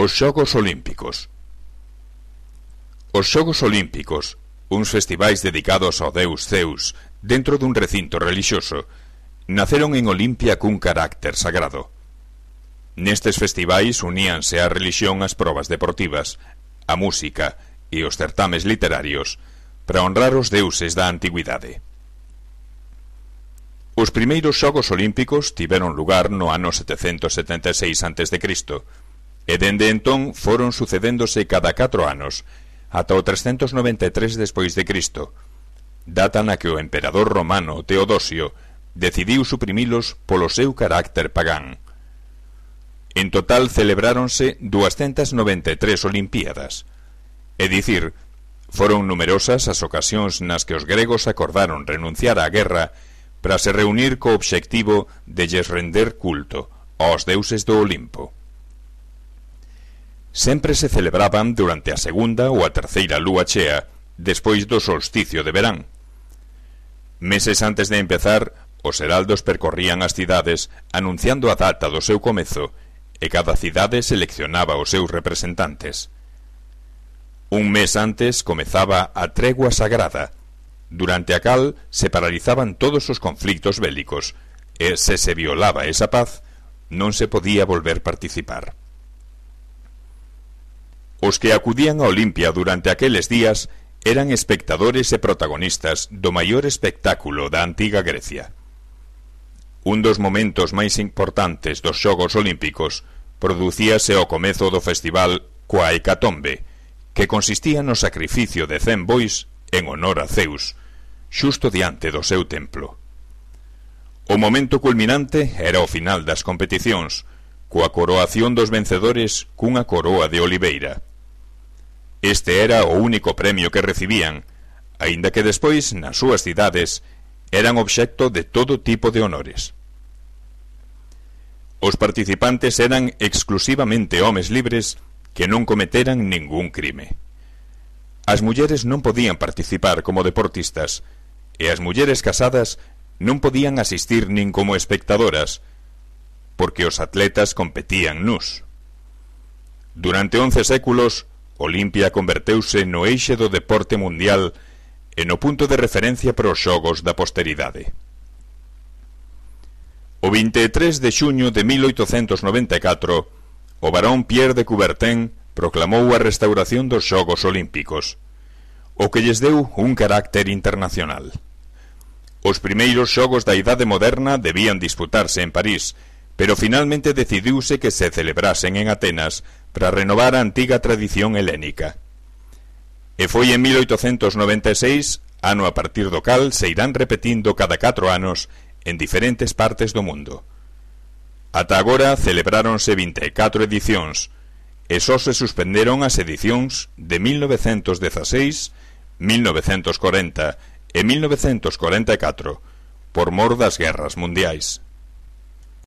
Os Xogos Olímpicos. Os Xogos Olímpicos, uns festivais dedicados ao deus Zeus dentro dun recinto relixioso, naceron en Olimpia cun carácter sagrado. Nestes festivais uníanse a relixión ás probas deportivas, a música e os certames literarios para honrar os deuses da antigüidade. Os primeiros Xogos Olímpicos tiveron lugar no ano 776 a.C., e dende entón foron sucedéndose cada 4 anos, ata o 393 despois de Cristo, data na que o emperador romano Teodosio decidiu suprimilos polo seu carácter pagán. En total celebráronse 293 Olimpíadas, é dicir, foron numerosas as ocasións nas que os gregos acordaron renunciar á guerra para se reunir co obxectivo de lles render culto aos deuses do Olimpo. Sempre se celebraban durante a segunda ou a terceira lúa chea, despois do solsticio de verán. Meses antes de empezar, os heraldos percorrían as cidades anunciando a data do seu comezo, e cada cidade seleccionaba os seus representantes. Un mes antes comezaba a tregua sagrada, durante a cal se paralizaban todos os conflictos bélicos, e se violaba esa paz, non se podía volver participar. Os que acudían a Olimpia durante aqueles días eran espectadores e protagonistas do maior espectáculo da antiga Grecia. Un dos momentos máis importantes dos Xogos Olímpicos producíase ao comezo do festival coa hecatombe, que consistía no sacrificio de 100 bois en honor a Zeus, xusto diante do seu templo. O momento culminante era o final das competicións, coa coroación dos vencedores cunha coroa de oliveira. Este era o único premio que recibían, aínda que despois, nas súas cidades, eran obxecto de todo tipo de honores. Os participantes eran exclusivamente homes libres que non cometeran ningún crime. As mulleres non podían participar como deportistas, e as mulleres casadas non podían asistir nin como espectadoras, porque os atletas competían nus. Durante 11 séculos, Olimpia converteuse no eixe do deporte mundial e no punto de referencia para os xogos da posteridade. O 23 de xuño de 1894, o barón Pierre de Coubertin proclamou a restauración dos Xogos Olímpicos, o que lles deu un carácter internacional. Os primeiros xogos da Idade Moderna debían disputarse en París, pero finalmente decidiuse que se celebrasen en Atenas para renovar a antiga tradición helénica. E foi en 1896, ano a partir do cal se irán repetindo cada 4 anos en diferentes partes do mundo. Ata agora celebráronse 24 edicións, e só se suspenderon as edicións de 1916, 1940 e 1944, por mor das guerras mundiais.